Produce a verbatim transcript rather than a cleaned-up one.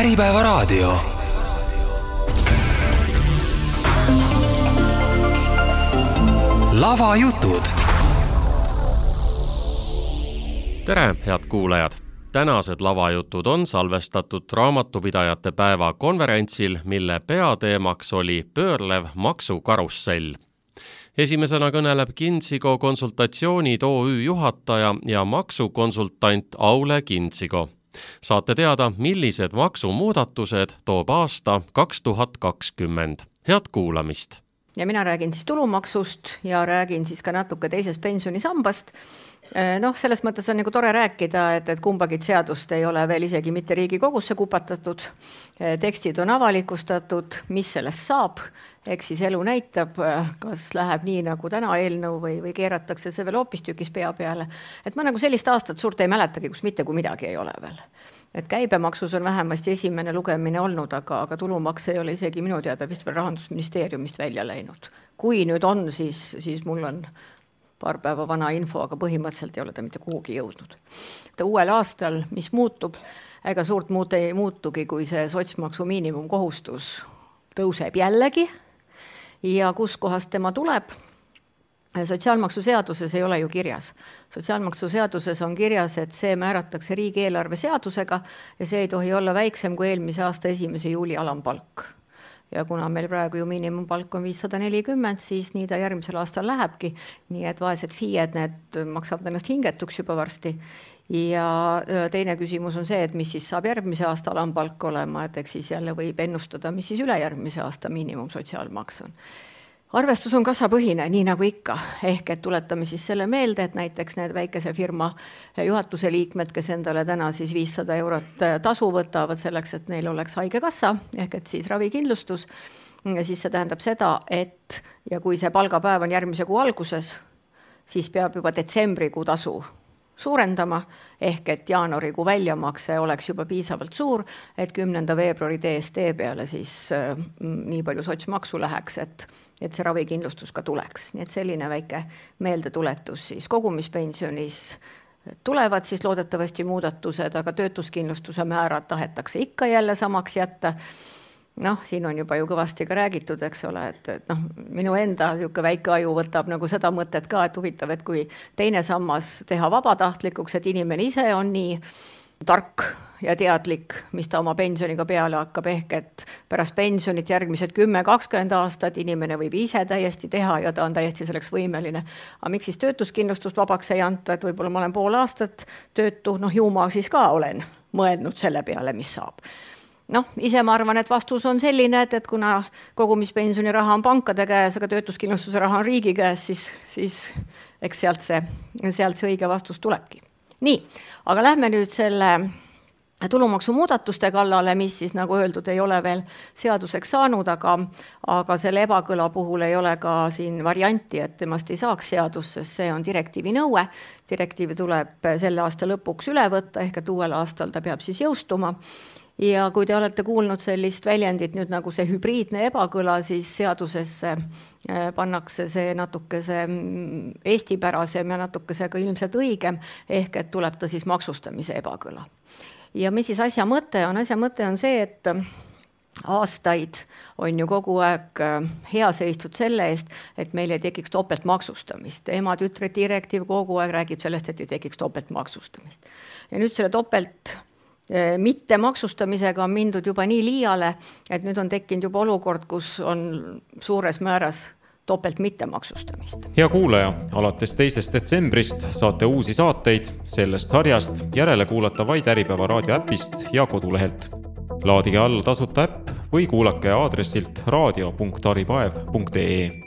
Äripäevaraadio. Lavajutud. Tere, head kuulajad! Tänased lavajutud on salvestatud raamatupidajate päeva konverentsil, mille peateemaks oli pöörlev maksukarussell. Esimesena kõneleb Kintsigo konsultatsioonid O Ü juhataja ja maksukonsultant Aule Kintsigo. Saate teada, millised maksumuudatused toob aasta kaks tuhat kakskümmend. Head kuulamist! Ja mina räägin siis tulumaksust ja räägin siis ka natuke teisest pensionisambast. Noh, selles mõttes on nagu tore rääkida, et, et kumbagid seadust ei ole veel isegi mitte Riigikogusse kupatatud. Tekstid on avalikustatud, mis sellest saab. Eks siis elu näitab, kas läheb nii nagu täna eelnõu või, või keeratakse see veel hoopistükis pea peale. Et ma nagu sellist aastat suurt ei mäletagi, kus mitte kui midagi ei ole veel. Et käibemaksus on vähemasti esimene lugemine olnud, aga, aga tulumaks ei ole isegi minu teada vist veel Rahandusministeeriumist välja läinud. Kui nüüd on, siis, siis mul on paar päeva vana info, aga põhimõtteliselt ei ole ta mitte kuhugi jõudnud. Ta uuel aastal, mis muutub, ega suurt muud ei muutugi, kui see sotsmaksu miinimumkohustus tõuseb jällegi ja kus kohast tema tuleb. Sotsiaalmaksu seaduses ei ole ju kirjas. Sotsiaalmaksu seaduses on kirjas, et see määratakse riigieelarve seadusega ja see ei tohi olla väiksem kui eelmise aasta esimese juuli alampalk. Ja kuna meil praegu ju miinimumpalk on viissada nelikümmend, siis nii ta järgmisel aastal lähebki. Nii et vaesed FIEd need maksavad ennast hingetuks juba varsti. Ja teine küsimus on see, et mis siis saab järgmise aasta alampalk olema, et eks siis jälle võib ennustada, mis siis üle järgmise aasta miinimum sotsiaalmaks on. Arvestus on kassapõhine, nii nagu ikka. Ehk et tuletame siis selle meelde, et näiteks need väikese firma juhatuse liikmed, kes endale täna siis viissada eurot tasu võtavad selleks, et neil oleks haige kassa, ehk et siis ravikindlustus, siis see tähendab seda, et ja kui see palgapäev on järgmise kuu alguses, siis peab juba detsembrikuu tasu suurendama, ehk et jaanuarikuu väljamakse oleks juba piisavalt suur, et kümnenda veebruari D S T peale siis äh, nii palju sotsmaksu läheks, et, et see ravikindlustus ka tuleks. Nii et selline väike meeldetuletus siis kogumispensionis tulevad siis loodetavasti muudatused, aga töötuskindlustuse määrad tahetakse ikka jälle samaks jätta. Noh, siin on juba ju kõvasti ka räägitud, eks ole, et, et noh, minu enda niisugune väike aju võtab nagu seda mõtet ka, et huvitav, et kui teine sammas teha vabatahtlikuks, et inimene ise on nii tark ja teadlik, mis ta oma pensioniga peale hakkab, ehk et pärast pensionit järgmised kümme kakskümmend aastat inimene võib ise täiesti teha ja ta on täiesti selleks võimeline. Aga miks siis töötuskindlustust vabaks ei anta, et võib-olla ma olen pool aastat töötu, noh ju ma siis ka olen mõelnud selle peale, mis saab. Noh, ise ma arvan, et vastus on selline, et, et kuna kogumispensioni raha on pankade käes, aga töötuskindlustuse raha on riigi käes, siis, siis eks sealt see, sealt see õige vastus tulebki. Nii, aga lähme nüüd selle tulumaksu muudatuste kallale, mis siis nagu öeldud ei ole veel seaduseks saanud, aga, aga selle ebakõla puhul ei ole ka siin varianti, et temast ei saaks seadus, sest see on direktiivi nõue. Direktiivi tuleb selle aasta lõpuks üle võtta, ehk et uuel aastal ta peab siis jõustuma. Ja kui te olete kuulnud sellist väljendit nüüd nagu see hübriidne ebakõla, siis seadusesse pannakse see natukese eestipärasem ja natukese ka ilmselt õigem, ehk et tuleb ta siis maksustamise ebakõla. Ja mis siis asja mõte on? Asja mõte on see, et aastaid on ju kogu aeg hea seistud selle eest, et meil ei tekiks topelt maksustamist. Ema-tütre direktiiv kogu aeg räägib sellest, et ei tekiks topelt maksustamist. Ja nüüd selle topelt mitte maksustamisega on mindud juba nii liiale, et nüüd on tekkinud juba olukord, kus on suures määras topelt mitte maksustamist. Hea kuulaja, alates teisest detsembrist saate uusi saateid sellest sarjast järele kuulata vaid Äripäeva raadio äpist ja kodulehelt. Laadige alla tasuta äpp või kuulake aadressilt raadio punkt aripaev punkt ee.